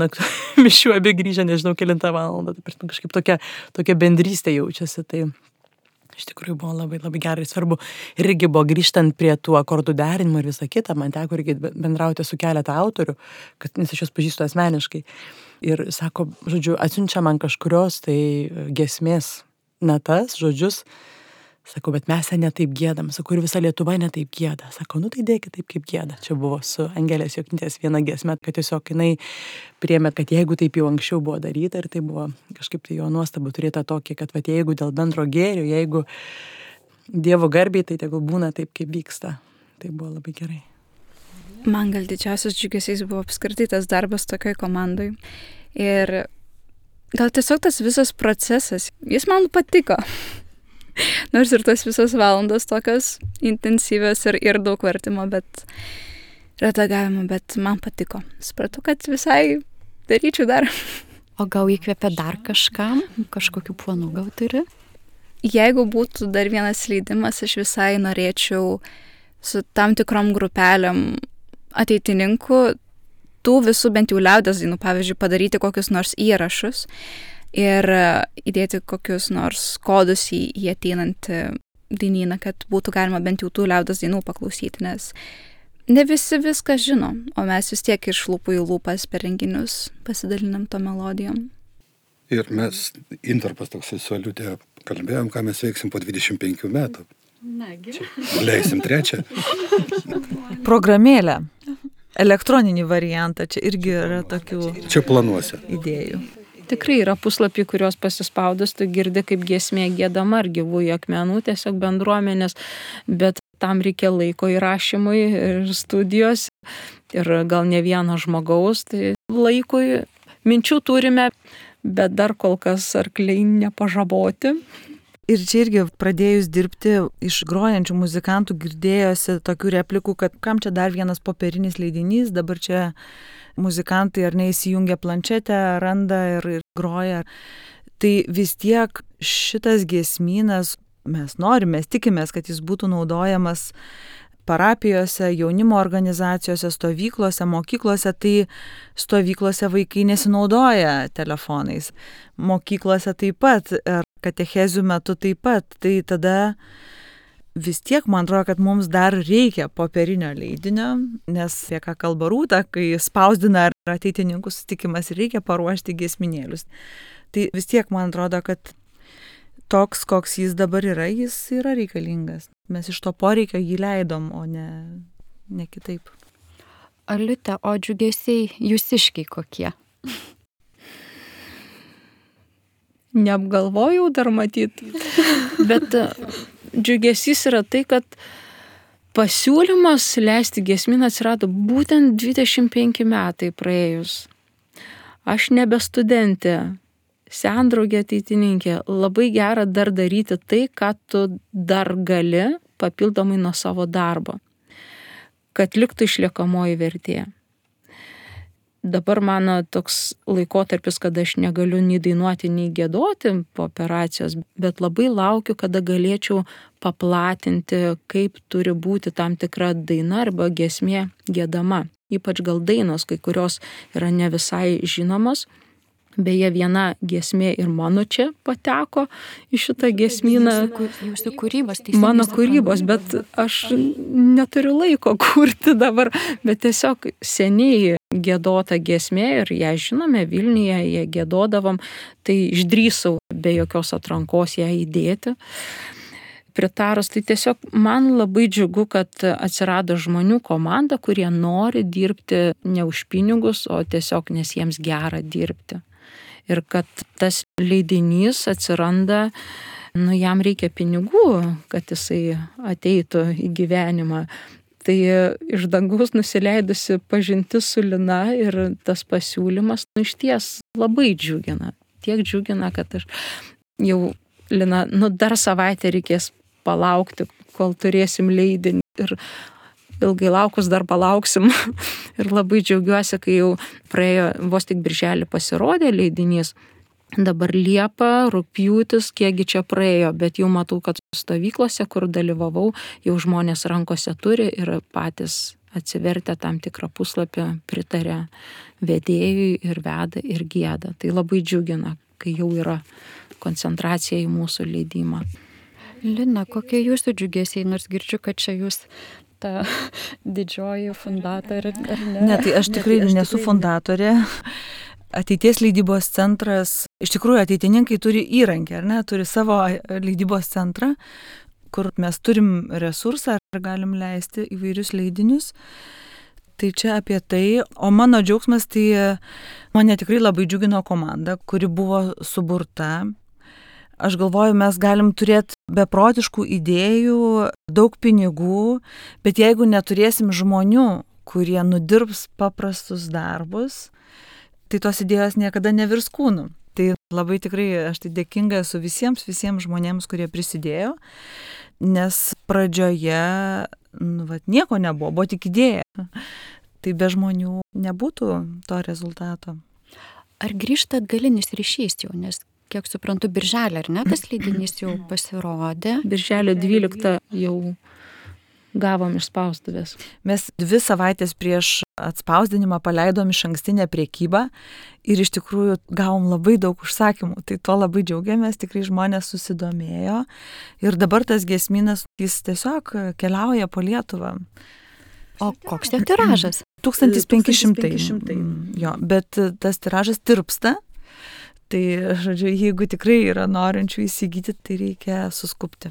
mišių abi grįžę, nežinau, kelintą valandą. Tai kažkaip tokia bendrystė jaučiasi. Tai iš tikrųjų buvo labai, labai gerai svarbu. Ir irgi buvo grįžtant prie tų akordų derinimų ir visą kitą, man teko irgi bendrauti su keletą autorių, nes aš juos pažįstu asmeniškai. Ir sako, žodžiu, atsiunčia man kažkurios tai giesmės natas, žodžius. Sako, bet mes ne taip giedam. Sako, ir visa Lietuva ne taip gieda. Sako, tai dėkit taip, kaip gieda. Čia buvo su Angelės Joknytės viena giesmė, kad tiesiog jinai priėmė, kad jeigu taip jau anksčiau buvo daryta, ir tai buvo kažkaip tai jo nuostabu turėta tokį, kad jeigu dėl bendro gėrio, jeigu Dievo garbiai, tai tegul būna taip, kaip vyksta. Tai buvo labai gerai. Man gal didžiausias džiugesiais buvo apskritai tas darbas tokioj komandai. Ir gal tiesiog tas visas procesas, jis man patiko. Nors ir tos visos valandos tokios intensyvios ir daug vertimo, bet redagavimo, bet man patiko. Supratau, kad visai daryčiau dar. O gal įkvėpia dar kažkam? Kažkokių planų gal turi? Jeigu būtų dar vienas leidimas, aš visai norėčiau su tam tikrom grupelėm ateitininkų tų visų bent jau liaudies dainų, pavyzdžiui, padaryti kokius nors įrašus ir įdėti kokius nors kodus į ateinantį dainyną, kad būtų galima bent jau tų liaudies dainų paklausyti, nes ne visi viską žino, o mes vis tiek iš lūpų į lūpas per renginius pasidalinam to melodijom. Ir mes, intarpas toksai su Aliutė, kalbėjom, ką mes veiksim po 25 metų. Nagi. Leisim trečią. Programėlę, elektroninį variantą, čia irgi yra tokių Čia planuose. idėjų. Tikrai yra puslapiai, kuriuos pasispaudus, tu girdi, kaip giesmė giedama ar gyvųjų akmenų, tiesiog bendruomenės, bet tam reikia laiko įrašymui ir studijos ir gal ne vieno žmogaus, tai laikui minčių turime, bet dar kol kas arkliai nepažaboti. Ir čia irgi pradėjus dirbti iš grojančių muzikantų girdėjosi tokių replikų, kad kam čia dar vienas popierinis leidinys, dabar čia muzikantai ar neįsijungia planšetę, randa ir groja. Tai vis tiek šitas giesmynas mes norime, mes tikimės, kad jis būtų naudojamas parapijose, jaunimo organizacijose, stovyklose, mokyklose, tai stovyklose vaikai nesinaudoja telefonais. Mokyklose taip pat, ar katechezių metu taip pat. Tai tada vis tiek man atrodo, kad mums dar reikia popierinio leidinio, nes apie ką kalba Rūta, kai spausdina ar ateitininkų susitikimas ir reikia paruošti giesminėlius. Tai vis tiek man atrodo, kad toks, koks jis dabar yra, jis yra reikalingas. Mes iš to poreikio jį leidom, o ne kitaip. Aliute, o džiugesiai jūsiškiai kokie? Neapgalvojau dar matyti, bet džiugesys yra tai, kad pasiūlymas leisti giesmyną atsirado būtent 25 metai praėjus. Aš nebe studentė, sendraugė ateitininkė, labai gera dar daryti tai, ką tu dar gali papildomai nuo savo darbo, kad liktų išliekamoji vertė. Dabar mano toks laikotarpis, kada aš negaliu nei dainuoti, nei giedoti po operacijos, bet labai laukiu, kada galėčiau paplatinti, kaip turi būti tam tikra daina arba giesmė giedama. Ypač gal dainos, kai kurios yra ne visai žinomos. Beje, viena giesmė ir mano čia pateko į šitą giesmyną. Jūsų kūrybos, mano kūrybos, bet aš neturiu laiko kurti dabar, bet tiesiog seniai giedota giesmė ir ją žinome, Vilniuje ją giedodavom, tai išdrįsau be jokios atrankos ją įdėti. Pritarus, tai tiesiog man labai džiugu, kad atsirado žmonių komanda, kurie nori dirbti ne už pinigus, o tiesiog nes jiems gera dirbti. Ir kad tas leidinys atsiranda, jam reikia pinigų, kad jisai ateitų į gyvenimą. Tai iš dangaus nusileidusi pažintis su Lina ir tas pasiūlymas išties labai džiugina. Tiek džiugina, kad aš jau, Lina, dar savaitę reikės palaukti, kol turėsim leidinį. Ir ilgai laukus dar palauksim. Ir labai džiaugiuosi, kai jau praėjo, vos tik birželį pasirodė leidinys. Dabar Liepa, rugpjūtis, kiekgi čia praėjo, bet jau matau, kad stovyklose, kur dalyvavau, jau žmonės rankose turi ir patys atsivertę tam tikrą puslapį pritarė vedėjui ir veda ir gieda. Tai labai džiugina, kai jau yra koncentracija į mūsų leidimą. Lina, kokie jūsų džiugesiai, nors girdžiu, kad čia jūs ta didžioji fundatorė, ar ne? Ne, tai aš tikrai nesu fundatorė. Ateities leidybos centras, iš tikrųjų ateitininkai turi įrankį, ar ne, turi savo leidybos centrą, kur mes turim resursą ir galim leisti įvairius leidinius. Tai čia apie tai, o mano džiaugsmas, tai mane tikrai labai džiugino komanda, kuri buvo suburta. Aš galvoju, mes galim turėti beprotiškų idėjų, daug pinigų, bet jeigu neturėsim žmonių, kurie nudirbs paprastus darbus, tai tos idėjos niekada nevirs kūnu. Tai labai tikrai aš tai dėkinga esu visiems žmonėms, kurie prisidėjo, nes pradžioje nieko nebuvo, buvo tik idėja. Tai be žmonių nebūtų to rezultato. Ar grįžta atgalinis ryšys jau, nes kiek suprantu, birželį, ar ne, tas leidinys jau pasirodė? Birželio 12 jau gavom iš spaustuvės. Mes 2 savaitės prieš atspausdinimą paleidom išankstinę priekybą ir iš tikrųjų gavom labai daug užsakymų. Tai tuo labai džiaugiamės, tikrai žmonės susidomėjo. Ir dabar tas giesmynas, jis tiesiog keliauja po Lietuvą. O koks jo tiražas? 1500. Jo, bet tas tiražas tirpsta. Tai, žodžiu, jeigu tikrai yra norinčių įsigyti, tai reikia suskupti.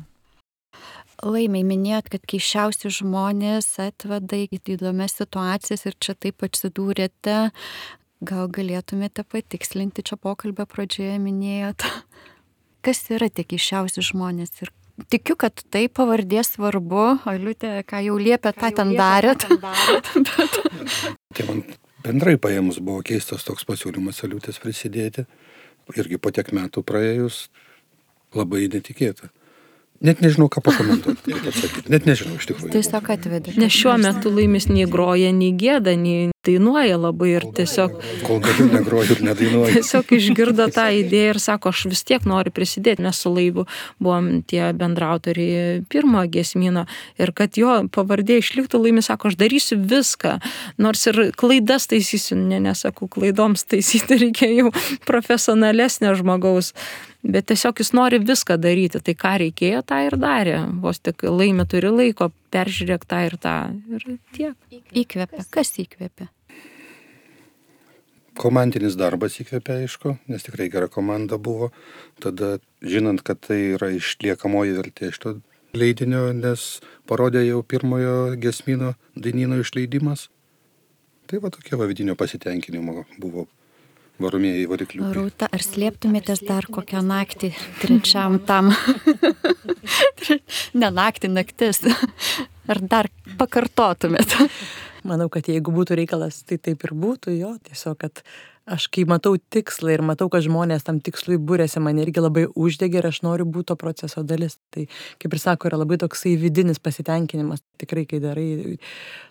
Laimiai, minėjot, kad keisčiausi žmonės atveda į įdomias situacijas ir čia taip atsidūrėte. Gal galėtumėte patikslinti, čia pokalbio pradžioje minėjot. Kas yra tie keisčiausi žmonės? Ir tikiu, kad tai pavardė svarbu. Aliutė, ką jau liepė, tą ten darėt. Tai man bendrai paėmus buvo keistas toks pasiūlymas Aliutės prisidėti. Irgi po tiek metų praėjus labai netikėta. Net nežinau, ką pakomentuoti, kaip atsakyti. Net nežinau, iš tikrųjų. Tiesiog atvedė. Nes šiuo metu Laimis nei groja, nei gėda, nei dainuoja labai ir tiesiog... Kol galiu negroju ir nedainuoju. Tiesiog išgirdo tą idėją ir sako, aš vis tiek noriu prisidėti, nes su Laibu buvom tie bendrautoriai pirmo giesmyno ir kad jo pavardė išliktų, Laimis sako, aš darysiu viską, nors ir klaidas taisysiu, nesakau, klaidoms taisyti reikia jau profesionalesnio žmogaus. Bet tiesiog jis nori viską daryti, tai ką reikėjo, tą ir darė. Vos tik Laimi turi laiko, peržiūrėk tą ir tą. Ir tiek. Įkvėpė. Kas įkvėpė? Komandinis darbas įkvėpė, aišku, nes tikrai gera komanda buvo. Tada, žinant, kad tai yra išliekamoji vertė šito leidinio, nes parodė jau pirmojo giesmyno dainyno išleidimas. Tai va tokie vidinio pasitenkinimo buvo varomieji varikliukai. Rūta, ar slėptumėtės dar kokią naktį trečiam tam? Ne naktį, naktis. Ar dar pakartotumėt? Manau, kad jeigu būtų reikalas, tai taip ir būtų, jo, tiesiog, kad aš kai matau tikslą ir matau, kad žmonės tam tikslui būrėsi, man irgi labai uždegė ir aš noriu būti to proceso dalis. Tai, kaip ir sako, yra labai toksai vidinis pasitenkinimas, tikrai, kai darai,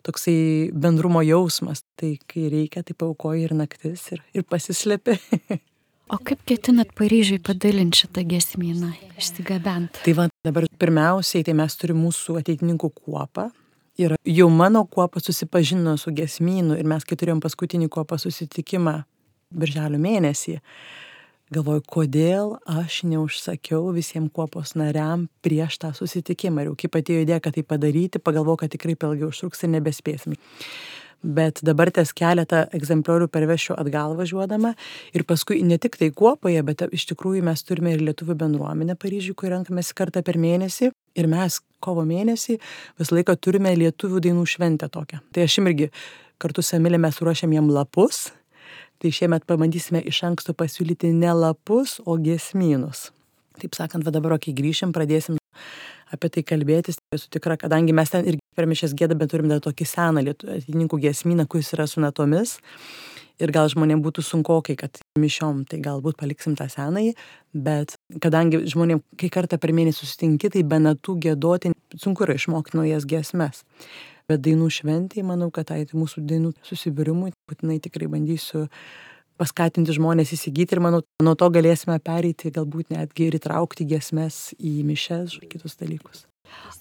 toksai bendrumo jausmas, tai kai reikia, tai paaukoji ir naktis ir pasislepi. O kaip ketinat Paryžiui padalinti šitą giesmyną, išsigabent? Tai va, dabar pirmiausiai, tai mes turime mūsų ateitininkų kuopą. Ir jau mano kuopa susipažino su giesmynu ir mes, kai turėjom paskutinį kuopą susitikimą birželio mėnesį, galvoju, kodėl aš neužsakiau visiems kuopos nariam prieš tą susitikimą. Ir jau kaip atėjo idėja, kad tai padaryti, pagalvojau, kad tikrai per ilgai užtruks ir nebespėsim. Bet dabar ties keletą egzempliorių pervešiu atgal važiuodama ir paskui ne tik tai kuopoje, bet iš tikrųjų mes turime ir lietuvių bendruomenę Paryžiui, kur renkamės kartą per mėnesį ir mes kovo mėnesį visą laiką turime lietuvių dainų šventę tokią. Tai aš irgi kartu su Emilė mes ruošiam jiem lapus, tai šiemet pabandysime iš anksto pasiūlyti ne lapus, o giesmynus. Taip sakant, va dabar, kai grįšim, pradėsim apie tai kalbėtis, esu tikra, kadangi mes ten irgi per mišias giedame, bet turim dar tokį seną ateitininkų giesmyną, kuris yra su natomis. Ir gal žmonėms būtų sunkokai, kad mišiom, tai galbūt paliksim tą senąjį, bet kadangi žmonėms kai kartą per mėnesį susitinki, tai be natų giedoti sunku yra išmokti naujas giesmes. Bet dainų šventėje, manau, kad tai mūsų dainų susibūrimui, būtinai tikrai bandysiu paskatinti žmonės įsigyti ir manau, nuo to galėsime pereiti, galbūt netgi ir įtraukti giesmes į mišias ir kitus dalykus.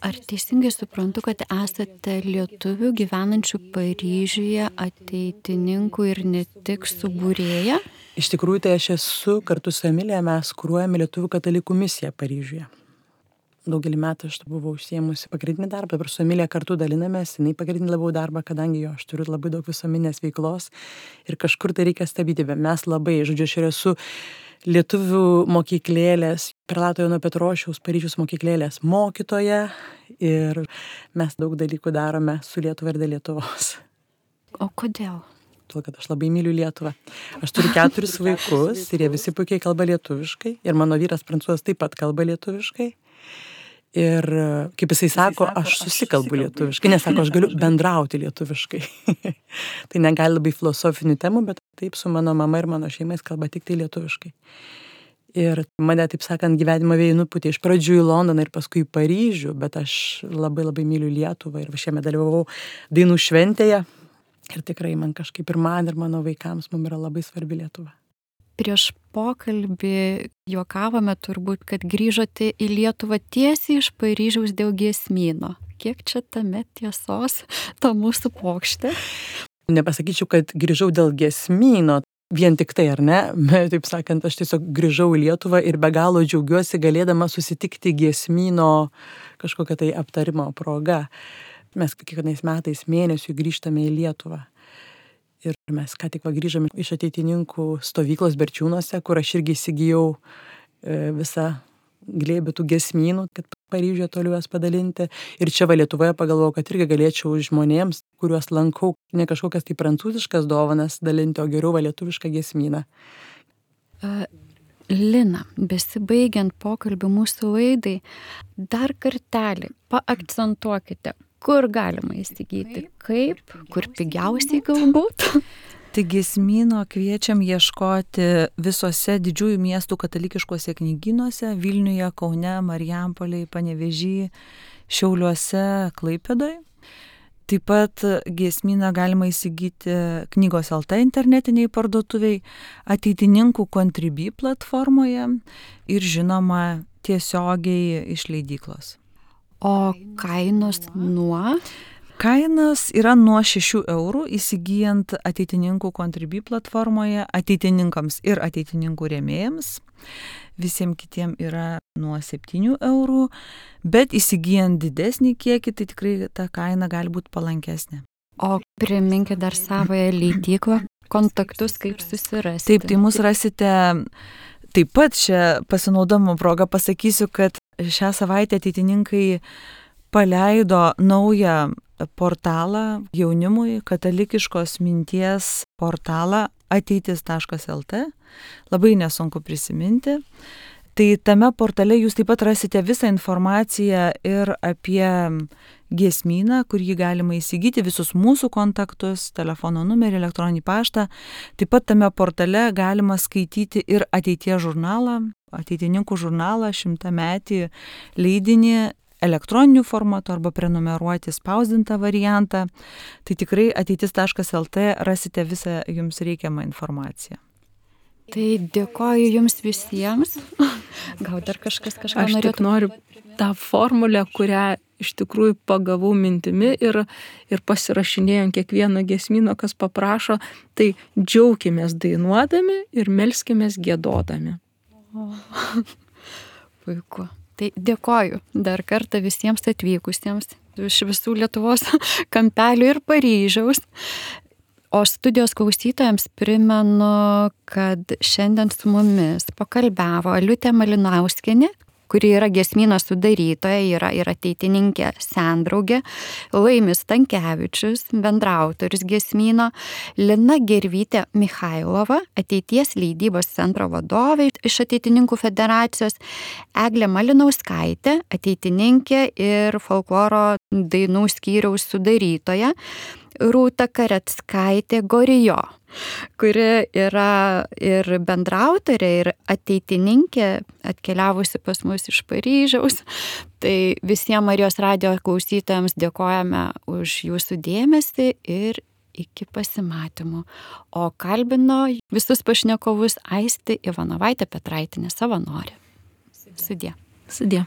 Ar teisingai suprantu, kad esate lietuvių gyvenančių Paryžiuje ateitininkų ir ne tik subūrėja? Iš tikrųjų, tai aš esu kartu su Emilija, mes kuruojame lietuvių katalikų misiją Paryžiuje. Daugelį metų aš buvau užsiėmusi pagrindinį darbą, dabar su Emilija kartu dalinamės, jinai pagrindinį labiau darbą, kadangi aš turiu labai daug visuomeninės veiklos ir kažkur tai reikia stabdyti, bet mes labai, žodžiu, aš esu lietuvių mokyklėlės, Prelato Jono Petrošiaus Paryžiaus mokyklėlės mokytoja ir mes daug dalykų darome su Lietuva ir dėl Lietuvos. O kodėl? Tuo, kad aš labai myliu Lietuvą. Aš turiu 4 vaikus ir jie visi puikiai kalba lietuviškai ir mano vyras prancūzas taip pat kalba lietuviškai. Ir kaip jisai sako, aš susikalbu lietuviškai, nes sako, aš galiu bendrauti lietuviškai. Tai negali labai filosofinių temų, bet taip su mano mama ir mano šeimais kalba tik tai lietuviškai. Ir mane, taip sakant, gyvenimo vėjai nupūtė iš pradžių į Londoną ir paskui į Paryžių, bet aš labai labai myliu Lietuvą ir šiame dalyvavau dainų šventėje. Ir tikrai man kažkaip ir man ir mano vaikams mums yra labai svarbi Lietuva. Prieš pokalbį juokavome turbūt, kad grįžote į Lietuvą tiesiai iš Paryžiaus dėl giesmyno. Kiek čia tame tiesos, ta mūsų pokštė? Nepasakyčiau, kad grįžau dėl giesmyno, vien tik tai, ar ne? Taip sakant, aš tiesiog grįžau į Lietuvą ir be galo džiaugiuosi galėdama susitikti giesmyno kažkokią tai aptarimo progą. Mes kiekvienais metais mėnesiui grįžtame į Lietuvą. Ir mes ką tik grįžome iš ateitininkų stovyklos Berčiūnuose, kur aš irgi įsigijau visą glėbį tų giesmynų, kad Paryžiuje toliau jas padalinti. Ir čia Lietuvoje pagalvojau, kad irgi galėčiau žmonėms, kuriuos lankau, ne kažkokias tai prancūziškas dovanas dalinti, o geriau lietuvišką giesmyną. Lina, besibaigiant pokalbį mūsų laidai, dar kartelį paakcentuokite, kur galima įsigyti, kaip, kur pigiausiai galbūt. Tai giesmyno kviečiam ieškoti visose didžiųjų miestų katalikiškuose knygynuose - Vilniuje, Kaune, Marijampolėje, Panevėžyje, Šiauliuose, Klaipėdoje. Taip pat giesmyną galima įsigyti knygos LT internetiniai parduotuviai, ateitininkų Contribui platformoje ir žinoma tiesiogiai iš leidyklos. O kainos nuo? Kainos yra nuo 6 eurų įsigijant ateitininkų Contribui platformoje, ateitininkams ir ateitininkų rėmėjams. Visiems kitiems yra nuo 7 eurų, bet įsigijant didesnį kiekį, tai tikrai ta kaina gali būti palankesnė. O priminkite dar savoje leidyklą, kontaktus kaip susirasti. Taip, tai mus rasite. Taip pat šią pasinaudojimo progą pasakysiu, kad šią savaitę ateitininkai paleido naują portalą jaunimui, katalikiškos minties portalą ateitis.lt. Labai nesunku prisiminti. Tai tame portale jūs taip pat rasite visą informaciją ir apie giesmyną, kur jį galima įsigyti, visus mūsų kontaktus, telefono numerį, elektroninį paštą. Taip pat tame portale galima skaityti ir ateities žurnalą, ateitininkų žurnalą, 100-metį leidinį elektroniniu formatu arba prenumeruoti spausdintą variantą. Tai tikrai ateitis.lt rasite visą jums reikiamą informaciją. Tai dėkoju jums visiems. Gal dar kažką Aš tik noriu tą formulę, kurią iš tikrųjų pagavau mintimi ir pasirašinėjom kiekvieną giesmyną, kas paprašo, tai džiaukimės dainuodami ir melskimės giedodami. Puiku. Tai dėkoju dar kartą visiems atvykusiems iš visų Lietuvos kampelių ir Paryžiaus. O studijos klausytojams primenu, kad šiandien su mumis pakalbavo Aliutė Malinauskienė, kuri yra giesmyno sudarytoja, yra ir ateitininkė sendraugė, Laimis Stankevičius, bendraautorius giesmyno, Lina Gervytė Michailova, ateities leidybos centro vadovė iš Ateitininkų federacijos, Eglė Malinauskaitė, ateitininkė ir folkloro dainų skyriaus sudarytoja, Rūta Karetskaitė Gorijo, kuri yra ir bendraautorė, ir ateitininkė, atkeliavusi pas mus iš Paryžiaus. Tai visiems Marijos radijo klausytojams dėkojame už jūsų dėmesį ir iki pasimatymų. O kalbino visus pašnekovus Aistė Ivanovaitė Petraitinė, savanorė. Sudie. Sudie.